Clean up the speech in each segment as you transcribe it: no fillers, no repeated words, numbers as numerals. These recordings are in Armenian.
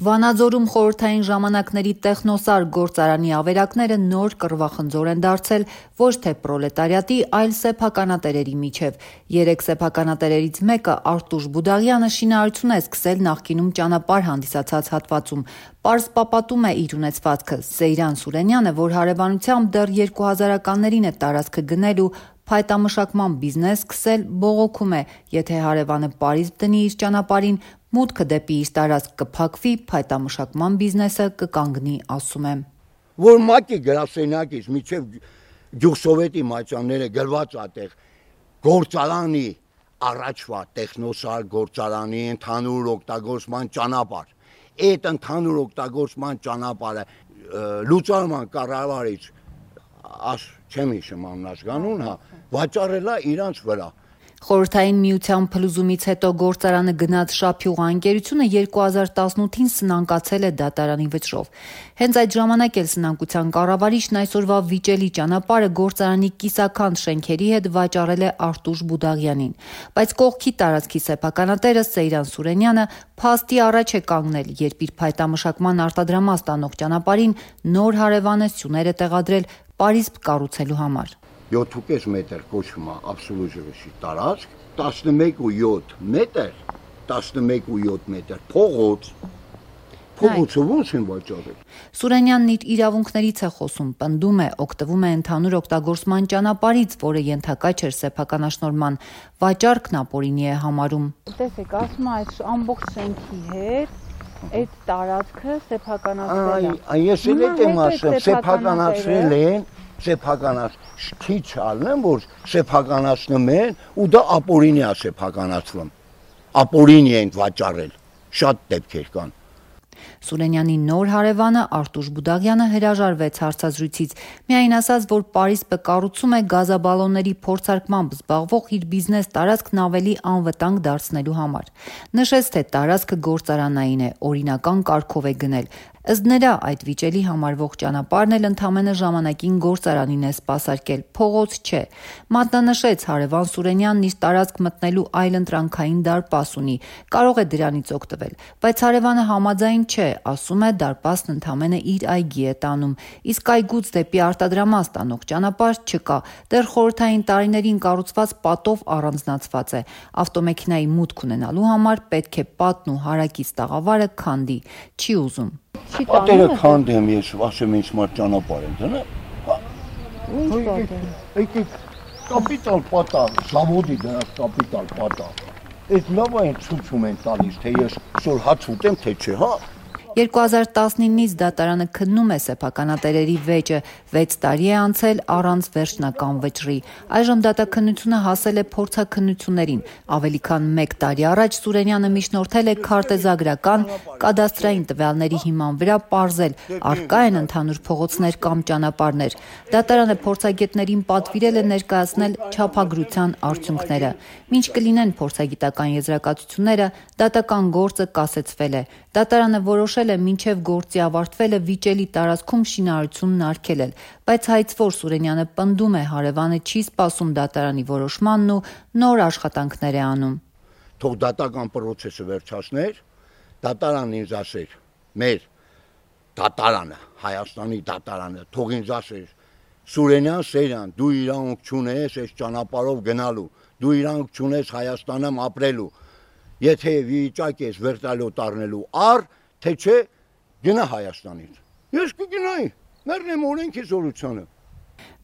Վանաձորում խորհրդային ժամանակների տեխնոսար գործարանի ավերակները նոր կռվախնձոր են դարձել ոչ թե պրոլետարիատի, այլ սեփականատերերի միջև։ 3 սեփականատերերից մեկը Արտուշ Բուդաղյանը շինարարություն է սկսել նախկինում ճանապարհ հանդիսացած հատվածում։ Պարզ պապատում է իր ունեցվածքը։ Սեյրան Սուրենյանը, որ հարևանությամբ դեռ 2000-ականներին է տարածքը գնել ու փայտամշակման բիզնես սկսել, բողոքում է, եթե հարևանը պարիսպ դնի իր ճանապարհին, մուտքը դեպի իր տարածք կփակվի, փայտամշակման բիզնեսը կկանգնի, ասում է։ Որ մակի գրասենյակից միջև գյուղսովետի մատյանները գրված ատեղ գործարանի առաջվա տեխնոսար գործարանի ընդհանուր օգտագործման ճանապարհ։ Այդ ընդհանուր օգտագործման ճանապարհը լուծարման կառավարիչ չեմ հիշում աննաշկանուն, վաճառելա իրանց վրա։ Խորհրդային միության փլուզումից հետո գործարանը գնաց Շափյուղ ընկերությունը 2018-ին սնանկացել է դատարանի վճռով։ Հենց այդ ժամանակ էլ սնանկության կառավարիչն այսօրվա վիճելի ճանապարհը գործարանի կիսաքանդ շենքերի հետ վաճառել է Արտուշ Բուդաղյանին։ Բայց կողքի տարածքի սեփականատերը Սեյրան Սուրենյանը փաստի առաջ է կանգնել, երբ իր փայտամշակման արտադրամաս տանող ճանապարհին նոր հարևանը սյուներ է տեղադրել պարիսպ կառուցելու համար։ 7.5 մետր կոչվում է absolute ժողովրդի տարածք, 11.7 մետր, 11.7 մետր փողոցը ո՞նց են վաճառել։ Սուրենյանն իր իրավունքներից է խոսում, պնդում է, օգտվում է ընդհանուր օգտագործման ճանապարհից, որը ենթակա չէր սեփականաշնորհման, վաճառքն ապօրինի է համարում։ Տեսեք, ասում է այս ամբողջ շենքի հետ այդ տարածքը սեփականացրել է։ Ես էլ եմ ասում, սեփականացրել են, քիչ ալնեմ, որ սեփականացնում են ու դա ապօրինի է սեփականացվում։ Ապօրինի են վաճառել։ Շատ դեպքեր կան։ Սուրենյանի նոր հարևանը Արտուշ Բուդաղյանը հրաժարվեց հարցազրույցից, միայն ասաց, որ պարիսպը կառուցում է գազաբալոնների փորձարկմամբ զբաղվող իր բիզնես տարածքն ավելի անվտանգ դարձնելու համար։ Նշեց, թե տարածքը գործարանային է, օրինական կարգով է գնել։ Ըստ նրա, այդ վիճելի համարվող ճանապարհն էլ ընդամենը ժամանակին գործարանին է սպասարկել, փողոց չէ։ Մատնանշեց, հարևան Սուրենյանն իր տարածք մտնելու այլընտրանքային դարպաս ունի, կարող է դրանից օգտվել, բայց հարևանը համաձայն չէ, ասում է, դարպասն ընդամենը իր այգի է տանում, իսկ այգուց դեպի արտադրամաս տանող ճանապարհ չկա, դեռ խորհրդային տարիներին կառուցված պատով առանձնացված է։ Ավտոմեքենայի մուտք ունենալու համար պետք է պատն ու հարակից տաղավարը քանդի, չի ուզում։ Պատերը քանդեմ ես, ասեմ ինձ մար ճանապարհ են դնա։ Ինչ պատեր։ Եկեք կապիտալ պատա, զավոդի դրանց կապիտալ պատա։ Այդ լավ այն ցույցում են տալիս, թե ես շոր հաց ուտեմ, թե չէ, հա։ 2019-ից դատարանը քննում է սեփականատերերի վեճը, 6 տարի է անցել առանց վերջնական վճռի։ Այժմ դատաքննությունը հասել է փորձաքննություններին։ Ավելի քան 1 տարի առաջ Սուրենյանը միջնորդել է քարտեզագրական, կադաստրային տվյալների հիման վրա պարզել, առկա են ընդհանուր փողոցներ կամ ճանապարհներ։ Դատարանը փորձագետներին պատվիրել է ներկայացնել չափագրության արդյունքները։ Մինչ կլինեն փորձագիտական եզրակացությունները, դատական գործը կասեցվել է։ Դատարանը որոշել է մինչև գործի ավարտվելը վիճելի տարածքում շինարարությունն արգելել, բայց հայցվոր Սուրենյանը պնդում է, հարևանը չի սպասում դատարանի որոշմանն ու նոր աշխատանքներ է անում։ Թող դատական պրոցեսը վերջացներ, դատարանն ինձ ասեր, մեր դատարանը, Հայաստանի դատարանը, թող ինձ ասեր, Սուրենյան Սեյրան, դու իրավունք չունես այս ճանապարհով գնալու, դու իրավունք չունես Հայաստանում ապրելու, եթե վիճակ ես վերտալյոտ առնելու առ, թե չէ գնա Հայաստանից։ Ես կգնայի, մեռնեմ օրենքի զորությանը։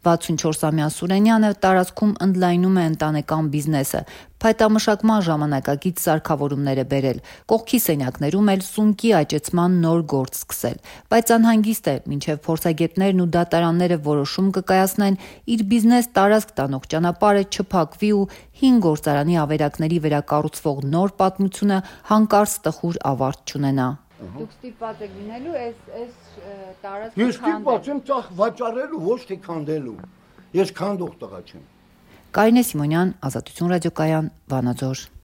64-ամյա Սուրենյանը տարածքում ընդլայնում է ընտանեկան բիզնեսը, փայտամշակման ժամանակակից սարքավորումներ է բերել, կողքի սենյակներում էլ սունկի աճեցման նոր գործ սկսել, բայց անհանգիստ է, մինչև փորձագետներն ու դատարանները որոշում կկայացնեն, իր բիզնես տարածք տանող ճանապարհը չփակվի ու 5 գործարանի ավերակների վերակառուցվող նոր պատմությունը հանկարծ տխուր ավարտ չունենա։ Դուք ստիպված եք լինելու այս տարածքը քանդել։ Ես ստիպված եմ ծախ վաճառելու, ոչ թե քանդելու։ Ես քանդող տղա չեմ։ Կարինե Սիմոնյան, Ազատություն ռադիոկայան, Վանաձոր։